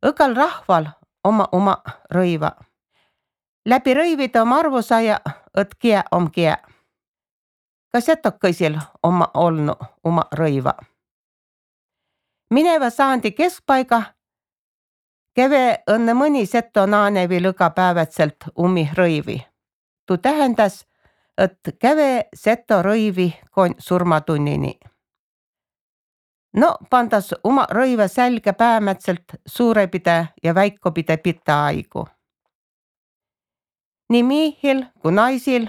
Õgal rahval oma rõiva. Läbi rõivide om arvu saia, et kie om kie. Ka setokõisil oma olnu oma rõiva. Mineva saandi keskpaiga käve õnne mõni seto naanevi lõga päevatselt rõivi. Tuu tähendas, et käve seto rõivi kon surmatunnini. No pandas oma rõiva sälge päämätselt suurepide ja väikopide pita aigu. Nii miihil kui naisil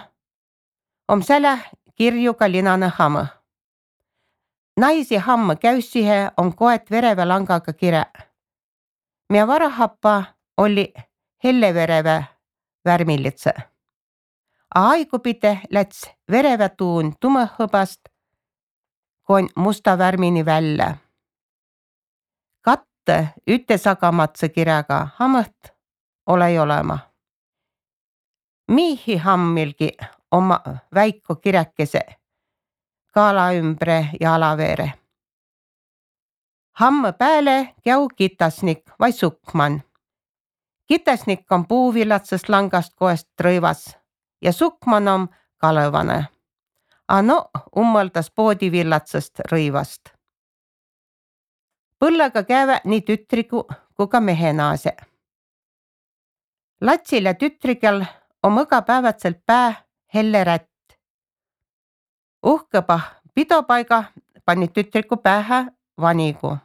om säläh kirjuga linane hamm. Naisi hamm käüssihe om koet vereve langaga kire. Mia varahappa oli hellevereve värmilitse. A aigupide läts vereve tuun tumõhõbast kon musta värmini välja. Katte ütesagamatse kirjaga hammõht olei olema. Miihi hammilgi oma väiko kiräkese kaala ümbre ja alaveere. Hamm pääle käu kitasnik vai sukman. Kitasnik on puuvillatsest langast koest rõivas ja sukman on kalõvane. A no ummõldas poodivillatsest rõivast. Põllega käve nii tütrigu kui ka mehenaase. Latsil ja tütrigel on õga päevatselt pää helle rätt. Uhkõba pidopaiga pani tütriku päähä vanigu.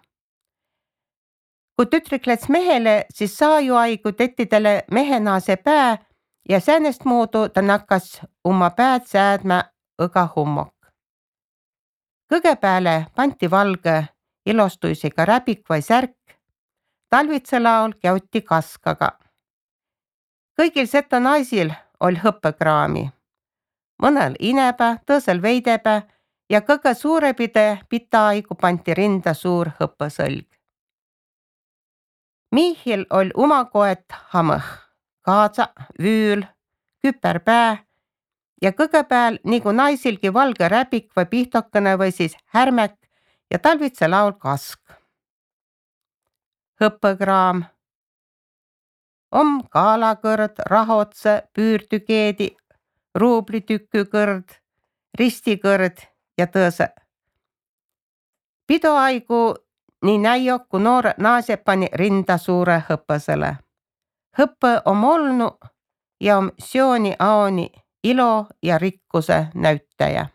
Kui tütrik läts mehele, siis saaju aigu tettidele mehenaase pää ja säänest muudu ta nakkas oma pääd säädmä õga hummok. Kõge pääle panti valge ilostuisiga räbik vai särk. Talvitse laul käuti kaskaga. Kõigil seto naisil oli hõppekraami. Mõnel inebä, tõõsel veidebä ja kõige suurepide pita aigu panti rinda suur hõppesõlg. Miihil oli uma koet hammõh, kaadsa, vüül, küperpää ja kõge pääl nagu naisilgi valge räbik või pihtokene või siis härmek ja talvitse laul kask. Hõppekraam om kaalakõrd, rahotse, püürtükeedi, ruublitükükõrd, ristikõrd ja tõõse. Pidoaigu nii näio, kui noore naase pani rinda suure hõppesele. Hõppe om olnu ja om sjooni aoni ilo ja rikkuse näyttäjä.